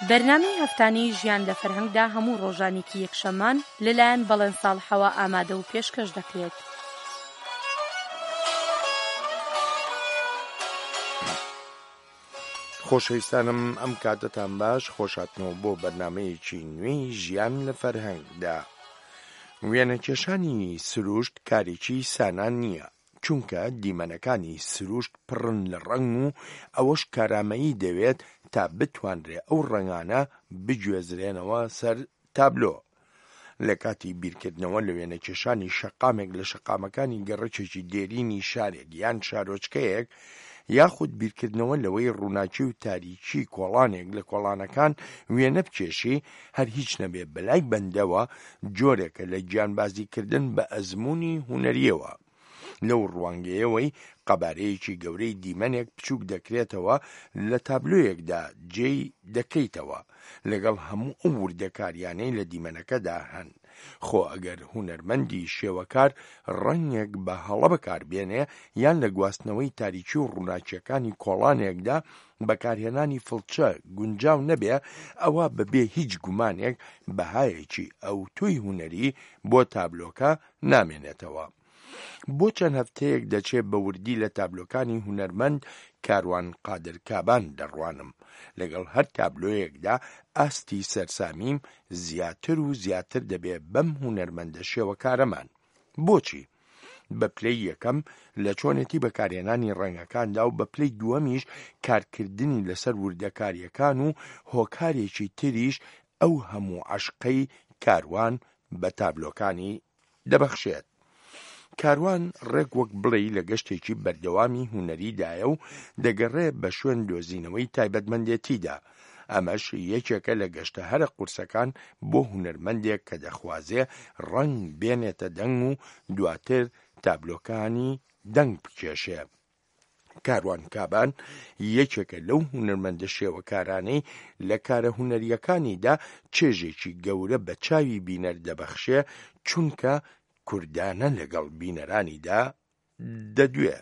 بەرنامەی هەفتانەی ژیان لە فەرهەنگدا هەموو ڕۆژانێکی یەکشەممان لەلایەن بەڵێن ساڵحەوە ئامادە و پێشکەش دەکرێت. خۆشەویستانم ئەم کاتەتان باش خۆشاتنەوە بۆ بەرنمەیەکی نوێی ژیان لە فەرهەنگدا. وێنەکێشانی سروشت کارێکی سانا نییە، چونکە دیمەنەکانی سروشت پڕن لە ڕەنگ و ئەوەش کارامەیی دەوێت تا بتوانرێ ئەو ڕەنگانە بگوێزرێنەوە سەر تابلۆ. لە کاتی بیرکردنەوە لە وێنەکێشانی شەقامێک لە شەقامەکانی گەڕەکێکی دێرینی شارێک یان شارۆچکەیەک، یاخود بیرکردنەوە لەوەی ڕووناکی و تاریکی کۆڵانێک لە کۆڵانەکان وێنە بکێشی، هەر هیچ نەبێ بەلای بەندەوە جۆرێکە لە گیانبازیکردن بە ئەزموونی هونەرییەوە. لەو ڕوانگەیەوەی قەبارەیەکی گەورەی دیمەنێک بچووک دەکرێتەوە لە تابلۆیەکدا جێی دەکەیتەوە لەگەڵ هەموو ئەو وردەکاریانەی لە دیمەنەکەدا هەن. خۆ ئەگەر هونەرمەندی شێوەکار ڕەنگێک بە هەڵە بەکاربێنێ یان لە گواستنەوەی تاریکی و ڕووناکییەکانی کۆڵانێکدا بەکارهێنانی فڵچە گونجاو نەبێ ئەوا بە بێ هیچ گومانێک بەهایەکی ئەوتۆی هونەری بۆ تابلۆکە نامێنێتەوە. بۆ چەند هەفتەیەک دەچێ بە وردی لە تابلۆکانی هونەرمەند کاروان قادر کابان دەڕوانم. لەگەڵ هەر تابلۆیەکدا ئاستی سەرسامیم زیاتر و زیاتر دەبێ بەم هونەرمەندە شێوەکارەمان. بۆچی؟ بە پلەی یەکەم لە چۆنێتی بەکارهێنانی ڕەنگەکاندا و بە پلەی دووەمیش کارکردنی لەسەر وردەکارییەکان و هۆکارێکی تریش ئەو هەموو عەشقەی کاروان بە تابلۆکانی دەبەخشێت. کاروان ڕێک وەک بڵێی لە گەشتێکی بەردەوامی هونەریدایە و دەگەڕێ بە شوێن دۆزینەوەی تایبەتمەندێتیدا. ئەمەش یەکێکە لە گەشتە هەرە قورسەکان بۆ هونەرمەندێک کە دەخوازێ ڕەنگ بێنێتە دەنگ و دواتر تابلۆکانی دەنگ بکێشێ. کاروان کابان یەکێکە لەو هونەرمەندە شێوەکارانەی لە کارە هونەرییەکانیدا چێژێکی گەورە بە چاوی بینەر دەبەخشێ، چونکە کوردانە لەگەڵ بینەرانیدا دەدوێ.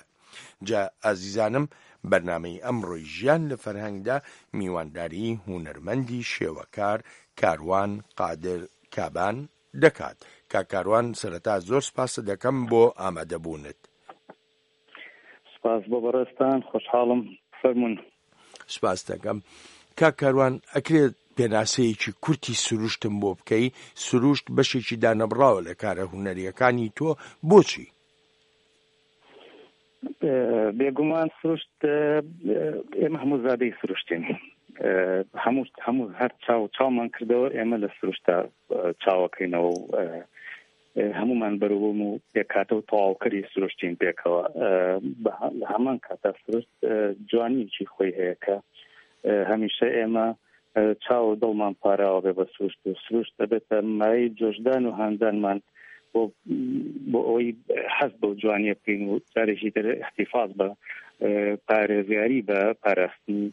جا ئازیزانم بەرنامەی ئەمڕۆی ژیان لە فەرهەنگدا میوانداری هونەرمەندی شێوەکار کاروان قادر کابان دەکات. کاک کاروان سەرەتا زۆر سپاست دەکەم بۆ ئامادەبوونت. سپاس بۆ بەڕێزتان خۆشحاڵم فەرموون. سپاست دەکەم. کاک کاروان ئەکرێت پێناسەیەکی کورتی سروشتم بۆ بکەی؟ سروشت بەشێکی دانەبڕاوە لە کارە هونەرییەکانی تۆ، بۆچی؟ بێگومان سروشت ئێمە هەموو زادەی سروشتین هەموو هەموو هەر چاو چاومان کردەوە ئێمە لە سروشتا چاوەکەینەوە و هەموومان بەروبووم و پێکهاتە و تەواوکەری سروشتین پێکەوە لە هەمان کاتا سروشت جوانیەکی خۆی هەیە کە هەمیشە ئێمە چاو و دڵمان پاراوە بێ بە سروشت و سروشت دەبێتە مایەی جۆشدان و هاندانمان بۆ بۆ ئەوەی حەز بەو جوانیە بکەین و جارێکی تر احتیفاز بە پارێزگاری بە پاراستنی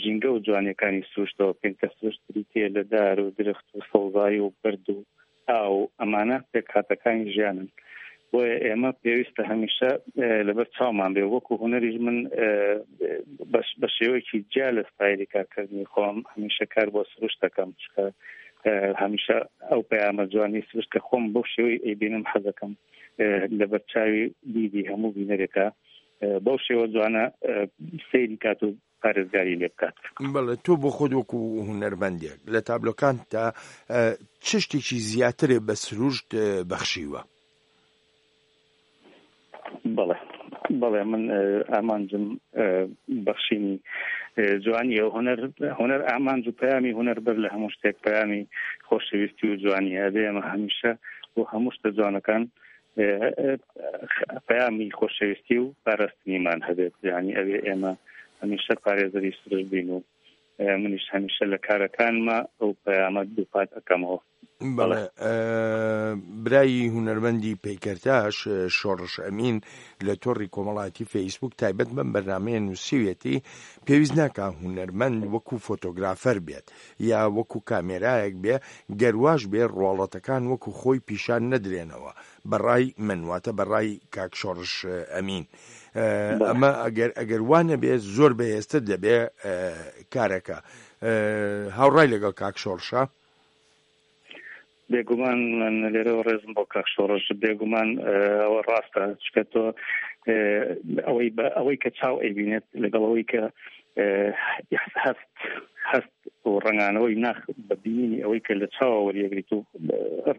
ژینگە و جوانیەکانی سروشتەوە بکەین کە سروشت بریتیە لە دار و درخت و سەوزایی و بەرد و ئاو ئەمانە پێکهاتەکانی ژیانن بۆیە ئێمە پێویستە هەمیشە لەبەر چاومان بێ وەکو هونەریش من بە شێوەیەکی جیا لە ستایلی کارکردنی خۆم هەمیشە کار بۆ سروشت دەکەم چکە هەمیشە ئەو پەیامە جوانی سروشت کە خۆم بەو شێوەی ئەیبینم حەزەکەم لەبەر چاوی دیدی هەموو بینەرێکە بەو شێوە جوانە سەیری کات و پارێزگاری لێ بکات. بەڵێ تۆ بۆ خۆت وەکو هونەرمەندێک لە تابلۆکانتدا چ شتێکی زیاترێ بە سروشت بەخشیوە؟ بەڵێ بەڵێ من ئامانجم بەخشینی جوانیە هونەر هونەر ئامانج و پەیامی هونەر بەر لە هەموو شتێک پەیامی خۆشەویستی و جوانیە ئەبێ ئێمە هەمیشە بۆ هەموو شتە جوانەکان پەیامی خۆشەویستی و پاراستنیمان هەبێت یعنی ئەوێ ئێمە هەمیشە پارێزەری سروشت بین و منیش هەمیشە لە کارەکانمە ئەو پەیامە دووپات ئەەکەمەوە. بەڵێ برای هونەرمەندی پەیکەرتاش شۆڕش ئەمین لە تۆڕی کۆمەڵاتی فەیسبوک تایبەت بەم بەرنامەیە نووسیویەتی پێویست ناکا هونەرمەند وەکو فۆتۆگرافەر بێت یا وەکو کامێرایەک بێ گەر واش بێ ڕواڵەتەکان وەکو خۆی پیشان نەدرێنەوە بەڕای من واتە بەڕای کاک شۆڕش ئەمین ئەمە ئەگەر ئەگەر وا نەبێ زۆر بەهێزتر دەبێ کارەکە هاوڕای لەگەڵ کاک شۆڕشە؟ بێگومان من لێرەوە ڕێزم بۆ کاک شۆڕش بێگومان ئەوە ڕاستە چکە تۆ ئەوەی بە ئەوەی کە چاو ئەیبینێت لەگەڵ ئەوەی کە هەست هەست و ڕەنگانەوەی ناخ بە بینینی ئەوەی کە لە چاوە وەریەگریت و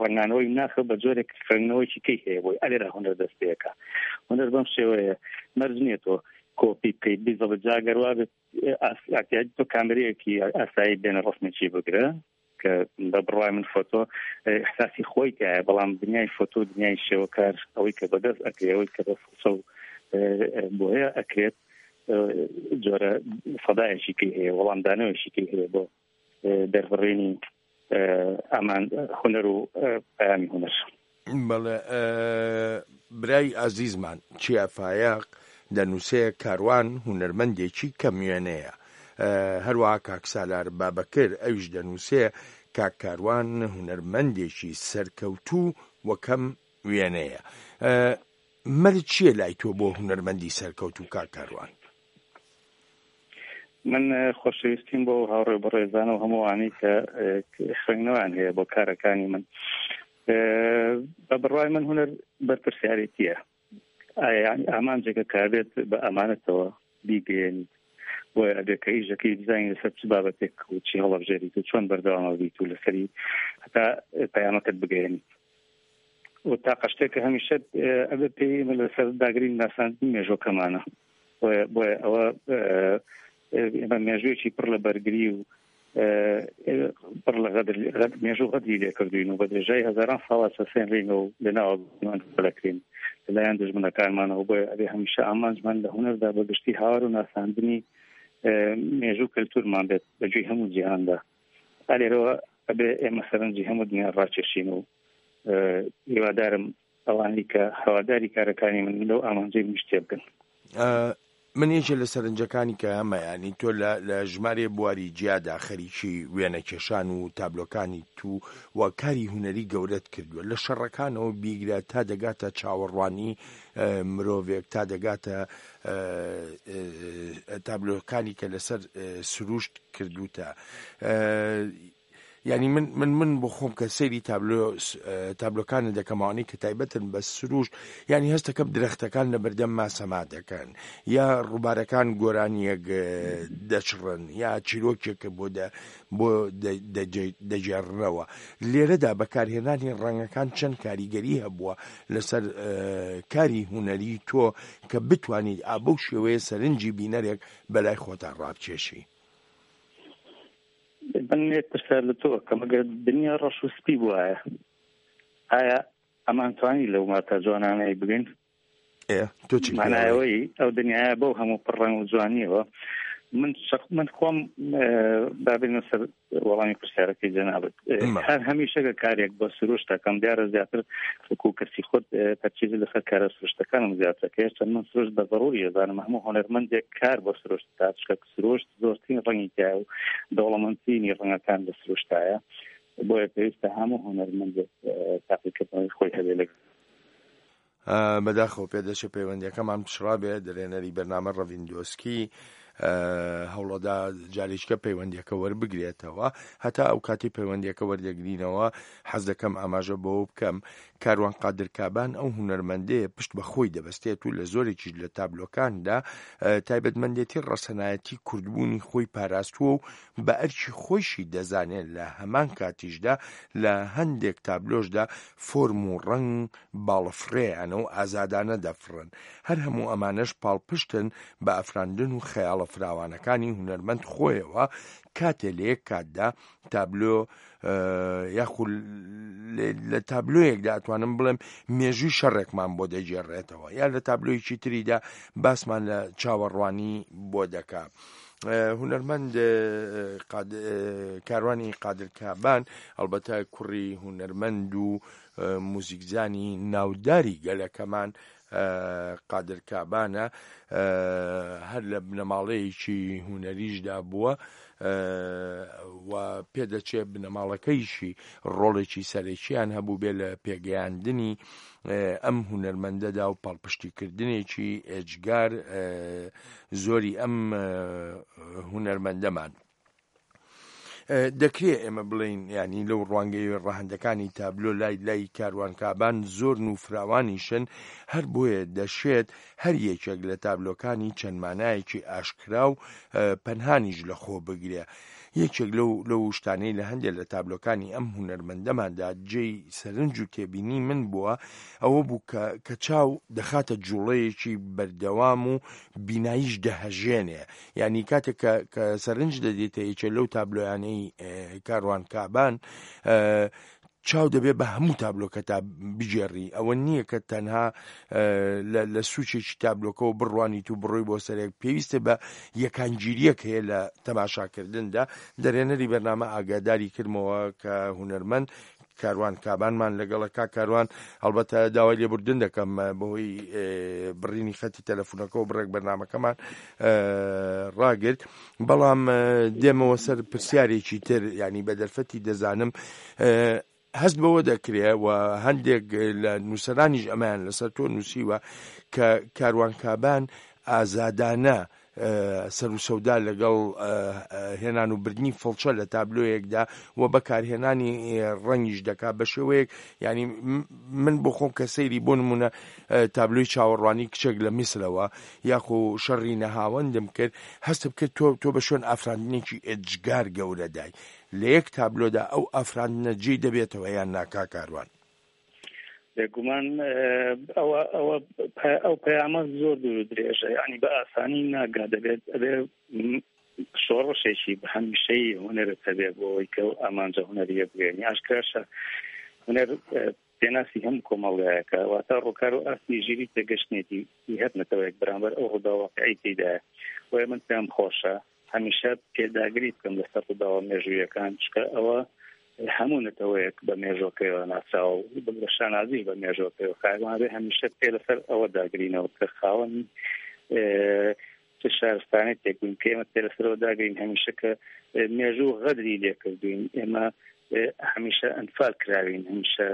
ڕەنگانەوەی ناخە بە جۆرێک خوێندنەوەیکی کەی هەیە بۆی ئەلێرا هونەر دەست پێەکە هونەر بەم شێوەیە مەرج نییە تۆ کۆپی بکەیت بیزەڵە جاگەروا بێت تۆ کامرەیەکی ئاسایی بێنە ڕسمێکی بگرە کە بە بڕوای من فۆتۆ ئیحساسی خۆی تایە بەڵام دنیای فۆتۆ دنیای شێوەکار ئەوەی کە بەدەست ئەکرێ ئەوەی کە بە فڵچە و بۆیە ئەکرێت جۆرە سەدایەکی کەی هەیە وەڵامدانەوەیشی کەی هەیە بۆ دەربڕینی ئامان هونەر و پەیامی هونەر. بەڵێ برای ئازیزمان چیا فایەق دەنووسێ کاروان هونەرمەندێکی کەم وێنەیە. هەروەها کاک سالار بابەکر ئەویش دەنووسێ کاک کاروان هونەرمەندێکی سەرکەوتوو و کەم وێنەیە. مەرج چییە لای تۆ بۆ هونەرمەندی سەرکەوتوو کاک کاروان؟ من خۆشەویستیم بۆ هاوڕێ بەڕێزان و هەمووانی کە خوێندنەوەیان هەیە بۆ کارەکانی من بە بڕوای من هونەر بەرپرسیارێتیە ئامانجێکە کابێت بە ئەمانەتەوە بیگەیەنیت بۆیە ئەبێ کە ئیشەکەی بزانین لەسەر چ بابەتێک و چی هەڵەبژێریت و چۆن بەردەوامە بیت و لەسەری هەتا پەیامەکەت بگەیەنیت و تاقە شتێک کە هەمیشە ئەبێ پێی ئێمە لەسەر داگرین ناساندنی مێژوەکەمانە بۆیە بۆیە ئەوە ئێمە مێژوویەکی پڕ لە بەرگری و پڕ لە غەدر مێژوو غەدری لێکردوین و بە درێژای هەزاران ساڵە چەسێنرین و لە ناوە دەکرین لەلایەن دژمنەکانمانەوە بۆیە ئەبێ هەمیشە ئامانجمان لە هونەردا بە گشتی هاوار و ناساندنی مێژوو کەلتورمان بێت بە گوێی هەموو جیهاندا ئالێرەوە ئەبێ ئێمە سەرنجی هەموو دنیا ڕاکێشین و هیوادارم ئەوانەی کە هەواداری کارەکانی من لەو ئامانجەی منیش تێبگەن. من یەکێ لە سەرنجەکانی کە هەمە یانی تۆ لە لە ژمارێ بواری جیادا خەریکی وێنەکێشان و تابلۆکانی تو و کاری هونەری گەورەت کردووە لە شەڕەکانەوە بیگرە تا دەگاتە چاوەڕوانی مرۆڤێک تا دەگاتە تابلۆکانی کە لەسەر سروشت کردوتە یانی من من من بۆ خۆم کە سەیری تابلۆ تابلۆکانە دەکەمەوانی کە تایبەتن بە سروشت یانی هەستەکەم درەختەکان لە بەردەم ما سەما دەکەن یا ڕووبارەکان گۆرانیەک دەچڕن یا چیرۆکێکە بۆ دە بۆ دەگێڕنەوە لێرەدا بەکارهێنانی ڕەنگەکان چەند کاریگەری هەبووە لەسەر کاری هونەری تۆ کە بتوانیت ئا بەو شێوەیە سەرنجی بینەرێک بەلای خۆتا ڕابکێشی. من یەک پرسیار لە تۆ ئەکەم ئەگەر دنیا ڕەش و سپی بوایە ئایا ئەمان توانی لەو ماتا جوانانەی بگەین؟ ئێ تۆ چی پێ ئەڵێی؟ مانایەوەی ئەو دنیایە بەو هەموو پڕ ڕەنگ و جوانیەوە من شەخ من خۆم با بێنە سەر وەڵامی پرسیارەکەی جەنابت هەر هەمیشە کە کارێک بۆ سروشت دەکەم دیارە زیاتر وەکو کەسی خۆت تەرکیز لەسەر کارە سروشتەکانم زیاتر کە هێشتا من سروشت بە زەڕوری ئەزانم هەموو هونەرمەندێک کار بۆ سروشت بکات چونکە سروشت زۆرترین ڕەنگی تایە و دەوڵەمەندترینی ڕەنگەکان لە سروشتایە بۆیە پێویستە هەموو هونەرمەندێک تاقیکردنەوەی خۆی هەبێ لە بەداخەوە پێدەچێت پەیوەندیەکەمان پچڕابێ دەرێنەری بەرنامە ڕەڤین دۆسکی هەوڵەدا جارێکە پەیوەندیەکە وەربگرێتەوە هەتا ئەو کاتی پەیوەندیەکە وەردەگرینەوە حەز دەکەم ئاماژە بەوە بکەم کاروان قادر کابان ئەو هونەرمەندەیە پشت بە خۆی دەبەستێت و لە زۆرێکیش لە تابلۆکاندا تایبەتمەندێتی ڕەسەنایەتی کوردبوونی خۆی پاراستووە و بە ئەرکی خۆیشی دەزانێت لە هەمان کاتیشدا لە هەندێک تابلۆشدا فۆرم و ڕەنگ باڵەفڕێیانە و ئازادانە دەفڕن، هەر هەموو ئەمانەش پاڵپشتن بە ئەفراندن و خەیاڵە فراوانەکانی هونەرمەند خۆیەوە، کاتێ لە یەک کاتدا تابلۆ یاخو لە تابلۆیەکدا ئەتوانم بڵێم مێژووی شەڕێکمان بۆ دەگێڕێتەوە یا لە تابلۆیەکی تریدا باسمان لە چاوەڕوانی بۆ دەکا. هونەرمەند کاروانی قادر کابان ئەڵبەتە کوڕی هونەرمەند و موزیکزانی ناوداری گەلەکەمان قادر کابانە هەر لە بنەماڵەیەکی هونەریشدا بووە و پێدەچێ بنەماڵەکەیشی ڕۆڵێکی سەرەکییان هەبووبێ لە پێگەیاندنی ئەم هونەرمەندەدا و پاڵپشتیکردنێکی ئێجگار زۆری ئەم هونەرمەندەمان. دەکرێ ئێمە بڵێین یانی لەو ڕوانگەی ڕەهەندەکانی تابلۆ لای لای کاروان کابان زۆرن و فراوانیشن هەر بۆیە دەشێت هەر یەکێک لە تابلۆکانی چەند مانایەکی ئاشکرا و پەنهانیش لە خۆ بگرێ. یەکێک لەو لەو شتانەی لە هەندێک لە تابلۆکانی ئەم هونەرمەندەماندا جێی سەرنج و تێبینی من بووە ئەوە بوو کە کە چاو دەخاتە جوڵەیەکی بەردەوام و بیناییش دەهەژێنێ یانی کاتێک کە کە سەرنج دەدێتە یەکێ لەو تابلۆیانەی کاروان کابان چاو دەبێ بە هەموو تابلۆکە تا بگێڕی ئەوە نییە کە تەنها لە سوچێکی تابلۆکەوە بڕوانیت و بڕۆی بۆ سەرێک پێویستە بە یەکانگیریەک هەیە لە تەماشاکردندا دەرێنەری بەرنامە ئاگاداری کردمەوە کە هونەرمەند کاروان کابانمان لەگەڵە کاک کاروان هەڵبەتە داوای لێبوردن دەکەم بەهۆی بڕینی خەتی تەلەفونەکەەوە بڕێک بەرنمەکەمان ڕاگرت بەڵام دێمەوە سەر پرسیارێکی تر ینی بە دەرفەتی دەزانم هەست بەوە دەکرێ و هەندێک لە نووسەرانیش ئەمەیان لەسەر تۆ نووسیوە کە کاروان کابان ئازادانە سەروسەودا لەگەڵ هێنان و بردنی فڵچە لە تابلۆیەکدا و بەکارهێنانی ڕەنگیش دەکات بە شێوەیەک ینی من بۆ خۆم کە سەیری بۆ نمونە تابلۆی چاوەڕوانی کچێک لە میسرەوە یاخۆ شەڕی نەهاوەندم کرد هەستم کرد تۆ تۆ بە شوێن ئافراندنێکی ئێجگار گەورەدای لە یەک تابلۆدا ئەو ئافراندنە جێی دەبێتەوە یان نا کاک کاروان؟ بێگومان ئەوە ئەوە ئەو پەیامە زۆر دوور و درێژە یعنی بە ئاسانی ناگا دەبێت ئەبێ شۆڕشێکی بە هەمیشەی هونەرت هەبێ بۆ ئەوەی کە ئامانجە هونەریە بگەێنی ئاشکراشە هونەر پێناسی هەموو کۆمەڵگایەکە واتە ڕووکار و ئاستی ژیری تێگەشتنێتی هەر نەتەوەیەک بەرامبەر ئەو ڕووداوە واقعی تێدایە بۆیە من پێم خۆشە هەمیشە پێداگری بکەم لەسەر ڕووداوە مێژوویەکان چکە ئەوە هەموو نەتەوەیەک بە مێژۆکەیەوە ناسراوە و بگرە شانازیش بە مێژۆکەیەوە کاروان هەمیشە پێ لەسەر ئەوە داگرینەوە کە خاوەنی چ شارستانێتێک بووین کە ئێمە پێ لەسەرەوە داگرین هەمیشە کە مێژوو غەدری لێکردوین ئێمە هەمیشە ئەنفال کراوین هەمیشە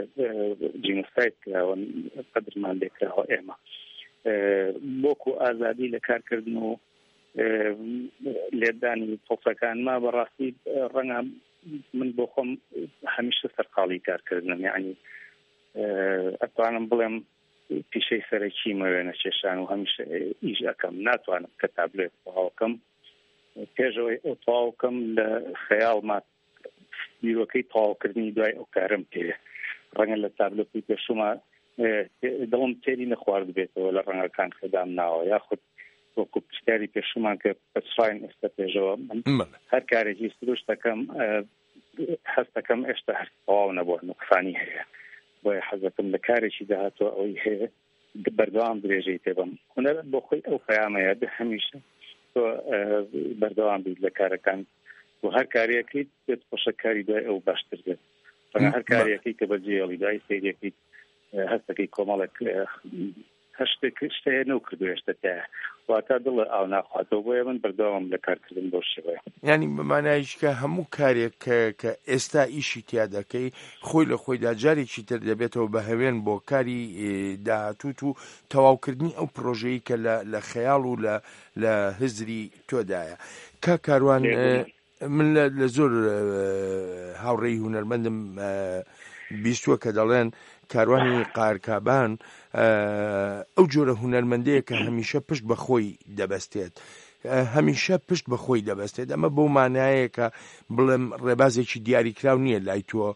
جینۆساید کراون قەدرمان لێکراوە ئێمە بۆکو ئازادی لە کارکردن و لێدانی پۆپەکانما بەڕاستی ڕەنگە من بۆ خۆم هەمیشە سەرقاڵی کارکردنم یعنی ئەتوانم بڵێم پیشەی سەرەکیمە وێنەکێشان و هەمیشە ئیش ئەەکەم ناتوانم کە تابلێت تەواوکەم پێشەوەی ئەو تەواوکەم لە خەیاڵما بیرۆکەی تەواوکردنی دوای ئەو کارم پێ ڕەنگە لە تابلۆکەی پێشوما دڵم تێری نەخوارد بێتەوە لە ڕەنگەکان کە دام ناوە یاخود وەکو پرسیاری پێشومان کە پەچڕین ئێستا پێشەوە من هەر کارێکی سروشتەکەم هەستەکەم ئێستا هەر تەواو نەبووە نوقسانی هەیە بۆیە حەزەکەم لە کارێکی داهاتوە ئەوەی هەیە بەردەوام درێژەی پێبم هونەر بۆ خۆی ئەو پەیامەیە بێ هەمیشە تۆ بەردەوام بیت لە کارەکان و هەر کارێکیت پێت خۆشە کاری دوای ئەو باشتر بێت هەر کارێکی کە بەجێڵی دوای سەیرەکەیت هەستەکەی کۆمەڵێک هەر شتێک شتەیە نەوکردو هێشتا تایە واتا دڵ ئاو ناخواتەوە بۆیە من بەردەوامم لە کارکردن بەو شێوەیە. یانی بە مانایش کە هەموو کارێک کە کە ئێستا ئیشی تیا دەکەی خۆی لە خۆیدا جارێکی تر دەبێتەوە بە هەوێن بۆ کاری داهاتووت و تەواوکردنی ئەو پرۆژەی کە لە لە خەیاڵ و لە لە هزری تۆدایە کاک کاروان بێگومان. من لە زۆر هاوڕێی هونەرمەندم بیستووە کە دەڵێن کاروانی قارکابان ئەو جۆرە هونەرمەندەیە کە هەمیشە پشت بە خۆی دەبەستێت هەمیشە پشت بە خۆی دەبەستێت ئەمە بەو مانایە کە بڵێم ڕێبازێکی دیاریکراو نییە لای تۆ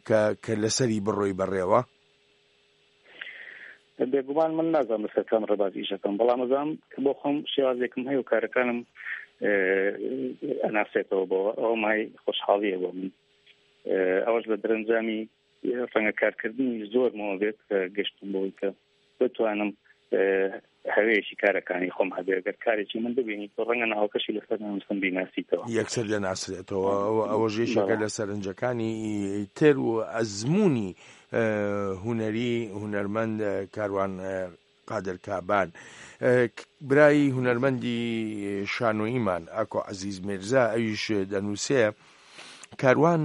کە کە لەسەری بڕۆی بەڕێوە بێگومان من نازانم لەسەر کام ڕێباز ئیشەکەم بەڵام ئەزانم کە بۆ خۆم شێوازێکم هەیە و کارەکانم ئەناسێتەوە بۆ ئەوە مای خۆشحاڵیە بۆ من ئەوەش لە دەرەنجامی ڕەنگە کارکردنی زۆرمەوە بێت کە گەشتم بۆی کە بتوانم هەوێکی کارەکانی خۆم هەبێ گەر کارێکی من ببینی تۆ ڕەنگە ناوەکەشی لەسەر نەنووسم بیناسیتەوە. یەکسەر دەناسرێتەوە ئەوەش یەکێکە لە سەرنجەکانی تر و ئەزموونی هونەری هونەرمەند کاروان قادر کابان برای هونەرمەندی شانۆییمان ئاکۆ عەزیز میرزا ئەویش دەنووسێ کاروان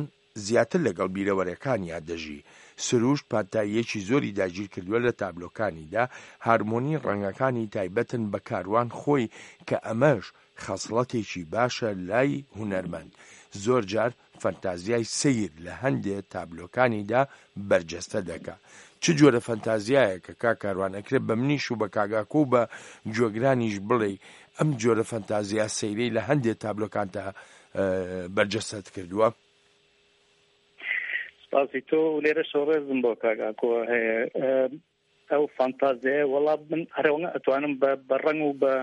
زیاتر لەگەڵ بیرەوەرەکانیا دەژی. سروشت پانتاییەکی زۆری داگیرکردووە لە تابلۆکانیدا، هارمۆنی ڕەنگەکانی تایبەتن بە کاروان خۆی کە ئەمەش خەسڵەتێکی باشە لای هونەرمەند. زۆر جار فەنتازیای سەیر لە هەندێ تابلۆکانیدا بەرجەستە دەکا. چ جۆرە فەنتازیایەکە کاک کاروان ئەکرێ بە منیش و بە کاک ئاکۆ و بە گوێگرانیش بڵێی ئەم جۆرە فەنتازیا سەیرەی لە هەندێ تابلۆکانتا بەرجەستەت کردووە؟ سپاسی تۆ و لێرەشەوە ڕێزم بۆ کاک ئاکۆ هەیە. ئەو فانتازیایە وەڵا من هەرەوەنە ئەتوانم بە ڕەنگ و بە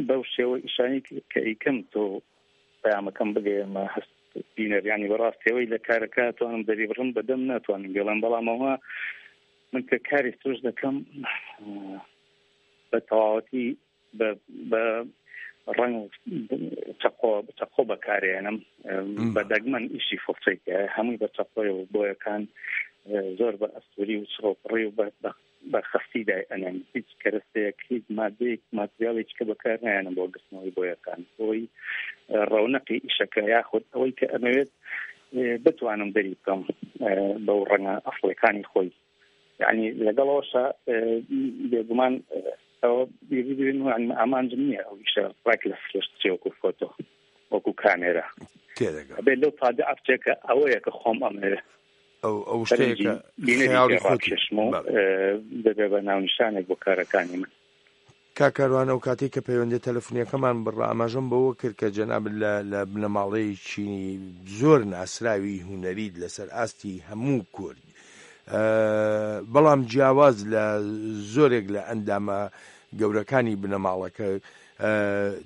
بەو شێوە ئیشانی کە ئیکەم تۆ پەیامەکەم بگەیەمە هەست بینەر ینی بەڕاستەوەی لە کارەکە توانم دەری بڕم بەدەم ناتوانم بێڵم بەڵامەوە من کە کاری سروش دەکەم بە تەواوەتی بە ڕەنگ چەقۆ چەقۆ بەکارێنم بە دەگمەن ئیشی فڵچەی هەمووی بە چەقۆی و بۆیەکان زۆر بە ئەستوری و چڕۆپڕی و بە خەستی دای ئەنێم هیچ کەرەستەیەک هیچ مادەیەک ماتریاڵێک کە بەکار نایەنم بۆ گرتنەوەی بۆیەکان بۆی ڕەونەقی ئیشەکە یاخود ئەوەی کە ئەمەوێت بتوانم دەری بکەم بەو ڕەنگە ئەسڵەکانی خۆی یعنی لەگەڵەوەشە بێگومان ئەوە بیری ئامانجم نییە ئەو ئیشە ڕێک لە سروشت بچێ وەکو فۆتۆ وەکو کامێرا تێدەگەم ئەبێ لەو تابیعە بچێ کە ئەوەیە کە خۆم ئەمەوێ ئەو ئەو شتەیە سەرنجی کە بینەری خەیاڵی پێ خۆتی ڕاکێشم و بەڵێ. دەبێ بە ناونیشانێک بۆ کارەکانی من. کاک کاروان ئەو کاتەی کە پەیوەندیە تەلەفونیەکەمان بڕا ئاماژەم بەوە کرد کە جەنابت لە لە بنەماڵەیەکی زۆر ناسراوی هونەریت لەسەر ئاستی هەموو کورد بەڵام جیاواز لە زۆرێک لە ئەندامە گەورەکانی بنەماڵەکە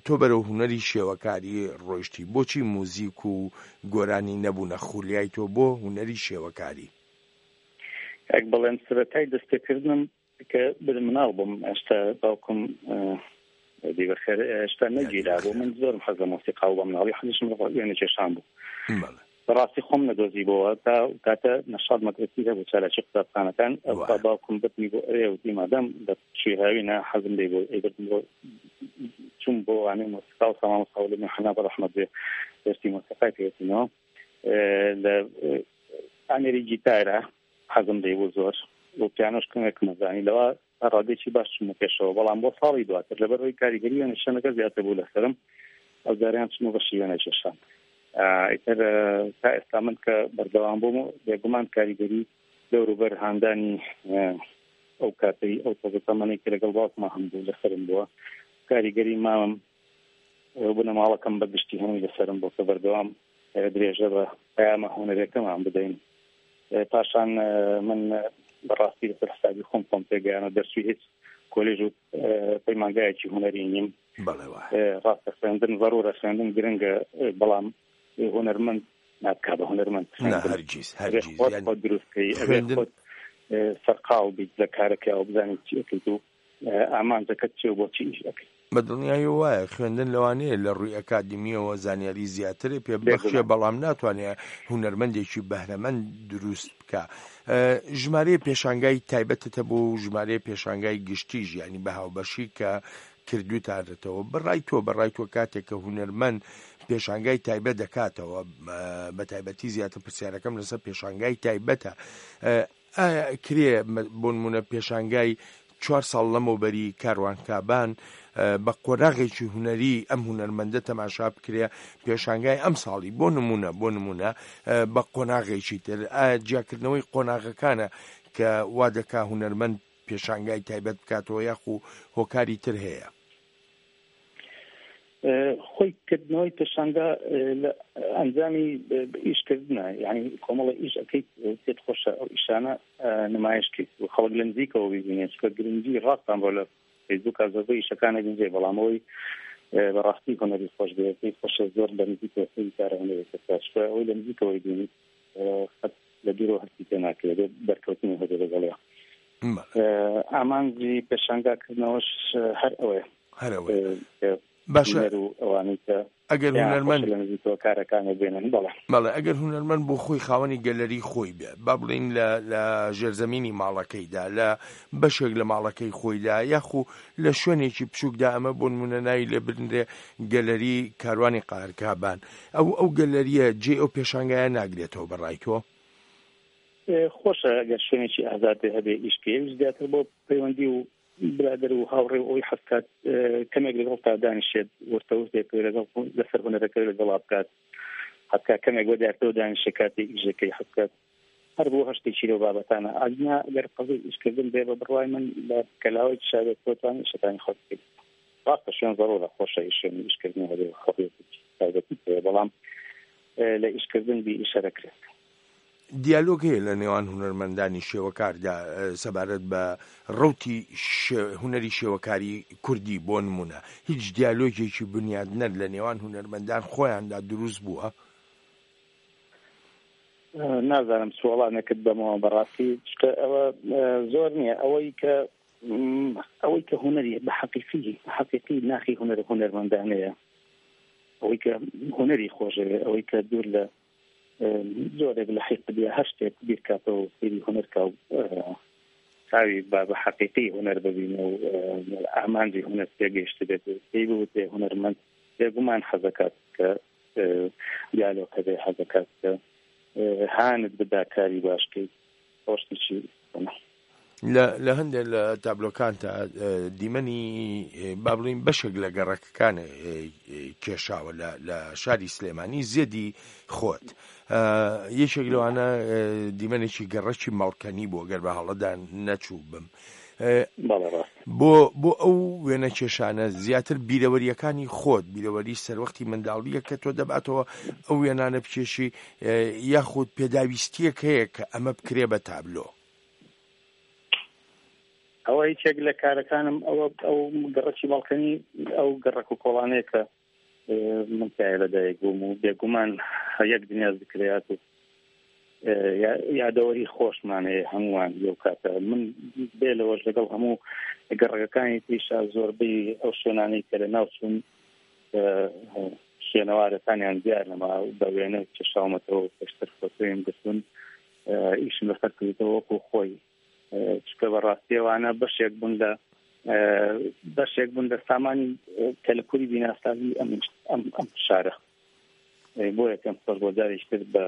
تۆ بەرەو هونەری شێوەکاری ڕۆیشتی بۆچی موزیک و گۆرانی نەبوونە خولیای تۆ بۆ هونەری شێوەکاری؟ کاک بەڵێن سەرەتای دەستپێکردنم کە بر مناڵ بووم ئێستا باوکم دی بەخێر ئێستا نەگیرا بوو من زۆرم حەز لە مۆسیقا و بە مناڵی حەزیشم لە وێنەکێشان بوو بەڕاستی خۆم نەدۆزیبەوە تا کاتە نەشاد مەدرەسی هەبوو چالاکی قوتابخانەکان ئەو باوکم بردنی بۆ ئەوێ وتی مادام لە پشووی هاوینە حەزم لێ بوو ئەی بردم بۆ چوم بۆ وانەی مۆسیقا و سامان ساولە حەنا بە ڕەحمەت بێ دەرسی مۆسیقای پێوتینەوە لە ئامێری گیتارە حەزم لێ بوو زۆر و پیانۆش کەمێکم ئەزانی لەوە تا ڕادەیەکی باش چوومە پێشەوە بەڵام بۆ ساڵی دواتر لەبەر ئەوەی کاریگەری وێنەکێشانەکە زیاتر بوو لەسەرم ئەو جارەیان چوومە بەشی وێنەکێشان ئیتر تا ئێستا من کە بەردەوام بووم و بێگومان کاریگەری دەوروبەر هاندانی ئەو کاتەی ئەو تۆزە تەمەنەی کە لەگەڵ باوکما هەم بوو لەسەرم بووە کاریگەری مامم بنەماڵەکەم بە گشتی هەمووی لەسەرم بوو کە بەردەوام درێژە بە پەیامە هونەرەکەمان بدەین پاشان من بەڕاستی لەسەر حسابی خۆم خۆم پێگەیانە دەرچووی هیچ کۆلێژ و پەیمانگایەکی هونەری نیم ڕاستە خوێندن ضرورە خوێندن گرنگە بەڵام هونەرمەند نابکا بە هونەرمەند هەرگیز هەرگیز خۆت دروستکەی خۆت سەرقاڵ بیت لە کارەکە و بزانیت چی ئەکەیت و ئامانجەکەت چیە و بۆچی ئیش ئەکەی. بە دڵنیاییەوە وایە، خوێندن لەوانەیە لە ڕووی ئەکادیمییەوە زانیاری زیاترێ پێ ببەخشێ، بەڵام ناتوانێ هونەرمەندێکی بەهرەمەند دروست بکا. ژمارەیە پێشانگای تایبەتت هەبوو و ژمارەیە پێشانگای گشتیش یانی بە هاوبەشی کە کردووتانەتەوە. بە ڕای تۆ، بە ڕای تۆ کاتێک کە هونەرمەند پێشانگای تایبەت دەکاتەوە، بە تایبەتی زیاتر پرسیارەکەم لەسەر پێشانگای تایبەتە، ئایا ئەکرێ بۆنمونە پێشانگای چوار ساڵ لەمەوبەری کاروان کابان بە قۆناغێکی هونەری ئەم هونەرمەندە تەماشا بکرێ پێشانگای ئەم ساڵی بۆ نمونە بۆ نمونە بە قۆناغێکی تر ئایا جیاکردنەوەی قۆناغەکانە کە وا دەکا هونەرمەند پێشانگای تایبەت بکاتەوە یاخو هۆکاری تر هەیە؟ خۆی کردنەوەی پێشانگا لە ئەنجامی ئیشکردنە یعنی کۆمەڵە ئیش ئەەکەیت پێت خۆشە ئەو ئیشانە نمایش کەیت و خەڵک لە نزیکەوە ببینێت چکە گرنگی ڕاستان بۆ لە فەیسبوک زۆربەی ئیشەکانە بینجێ بەڵام ئەوەی بەڕاستی هونەری خۆش بێت پێی خۆشە زۆر لە نزیکەوە سەیری کارە هونەرێکە بکات چکە ئەوەی لە نزیکەوەی بینیت قەت لە دوورەوە هەستی پێ ناکرێت بەرکەوتنی هەبێت لەگەڵیا. ئامانجی پێشانگا کردنەوەش هەر ئەوەیە. هەر ئەوەیە. باشە و ئەوانەی کە ئەگەر هونەرمەند لە نزیکەوە کارەکانی بێنن بەڵێ. بەڵێ ئەگەر هونەرمەند بۆ خۆی خاوەنی گەلەری خۆی بێ با بڵێین لە لە ژێرزەمینی ماڵەکەیدا لە بەشێک لە ماڵەکەی خۆیدا یاخو لە شوێنێکی بچووکدا ئەمە بۆ نمونە ناوی لێ بنرێ گەلەری کاروانی قاهرکابان ئەو ئەو گەلەریە جێی ئەو پێشانگایە ناگرێتەوە بە ڕای تۆ؟ خۆشە ئەگەر شوێنێکی ئازاد بێ هەبێ ئیش بکەی ئەویش زیاتر بۆ پەیوەندی و برادەر و هاوڕێ و ئەوەی حەزکات کەمێک لەگەڵ تا دانیشێت ورتە ورتێک لەگەڵ لەسەر هونەرەکە لەگەڵا بکات حەزکا کەمێک بە دیارتەوە دانیشێ کاتێ ئیشەکەی حەزکات هەر بۆ هەشتێکی لەو بابەتانە ئەگنا گەر قەزی ئیشکردن بێ بە بڕوای من لە کەلاوەی شاوێت تۆتوانی ئیشەکانی خۆت بکەیت ڕاستە شوێن زەڕورە خۆشە ئیشێن ئیشکردن هەبێ حڕیەتی تایبەتی هەیە بەڵام لە ئیشکردن بی ئیشە دەکرێت. دیالۆگ هەیە لە نێوان هونەرمەندانی شێوەکاردا سەبارەت بە ڕەوتی هونەری شێوەکاری کوردی بۆ نمونە هیچ دیالۆگێکی بنیادنەر لە نێوان هونەرمەندان خۆیاندا دروست بووە؟ نازانم چ وەڵامێکت بەمەوە بەڕاستی چکە ئەوە زۆر نییە ئەوەی کە ئەوەی کە هونەری بە حەقیقی حەقیقی ناخی هونەر هونەرمەندانەیە ئەوەی کە هونەری خۆشەوێ ئەوەی کە دوور لە جۆرێک لە حیقد یا هەر شتێک بیرکاتەوە و سەیری هونەر کا و چاوی بە بە حەقیقی هونەر ببینێ و ئامانجی هونەر تێگەیشتبێت و پێی بوترێ هونەرمەند بێگومان حەزەکات کە دیالۆگ هەبێ حەزەکات کە هانت بدا کاری باش بکەیت ئەوە شتێکی لە هەندێک لە تابلۆکانتا دیمەنی با بڵین بەشێک لە گەڕەکەکان کێشاوە لە شاری سلێمانی زێدی خۆت یەکێک لەوانە دیمەنێکی گەڕەکی مەڵکەنی بۆ گەر بە هەڵەدا نەچوو بم بۆ بۆ ئەو وێنە کێشانە زیاتر بیرەوەریەکانی خۆت بیرەوەری سەروەختی منداڵیە کە تۆ دەباتەوە ئەو وێنانە بکێشی یاخود پێداویستیەک هەیە کە ئەمە بکرێ بە تابلۆ؟ ئەوە یەکێک لە کارەکانم ئەوە ئەو گەڕەکی باڵکەنی ئەو گەڕەک و کۆڵانەیە کە من تایە لەدایک بووم و بێگومان یەک دنیا زکرەیات و یادەوەری خۆشمان هەیە هەمووان لەو کاتە من بێ لەوەش لەگەڵ هەموو گەڕەکەکانی تریشا زۆربەی ئەو شوێنانەی کە لە ناو چوون شوێنەوارەکانیان دیار نەما بە وێنە کێشاومەتەوە پێشتر فۆتۆیم گرتوون ئیشم لەسەر کردووە وەکو خۆی چکە بە ڕاستیەوانە بەشێک بوون لە بەشێک بوون لە سامانی کەلەپوری بیناسازی ئەم ئەم ئەم شارە بۆیە پێم خۆش بۆ جارێکی تر بە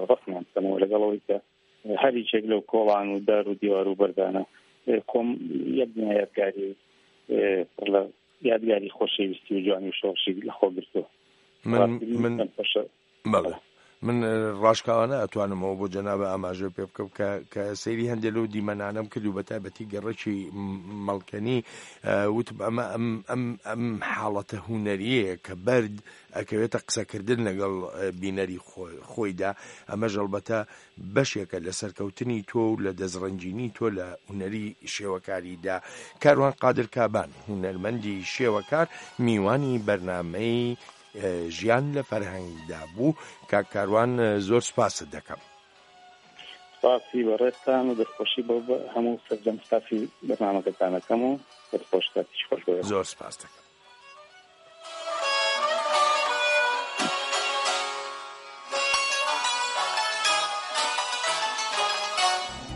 ڕەسمیان بکەمەوە لەگەڵ ئەوەی کە هەریچێک لەو کۆڵان و دار و دیوار و بەردانە کۆم یەک دنیا یادگاری پڕ لە یادگاری خۆشەویستی و جوانی و شۆڕشی لەخۆ گرتووە. من من بەڵێ من ڕاشکاوانە ئەتوانم ئەوە بۆ جەنابە ئاماژە پێ بکەم کە کە سەیری هەندێک لەو دیمەنانەم کرد و بە تایبەتی گەڕەکی مەڵکەنی وتم ئەمە ئەم ئەم ئەم حاڵەتە هونەریەیە کە بەرد ئەکەوێتە قسەکردن لەگەڵ بینەری خۆیدا ئەمەش ئەڵبەتە بەشێکە لە سەرکەوتنی تۆ و لە دەستڕەنگینی تۆ لە هونەری شێوەکاریدا. کاروان قادر کابان، هونەرمەندی شێوەکار، میوانی بەرنامەی ژیان لە فەرهەنگدا بوو. کاک کاروان زۆر سوپاست دەکەم. سوپاسی بەڕێزتان و دەستخۆشی بۆ هەموو سەرجەم ستافی بەرنامەکەتان ئەکەم و دەستخۆش کاتێکی خۆش بۆ ئێوە. زۆر سوپاست دەکەم.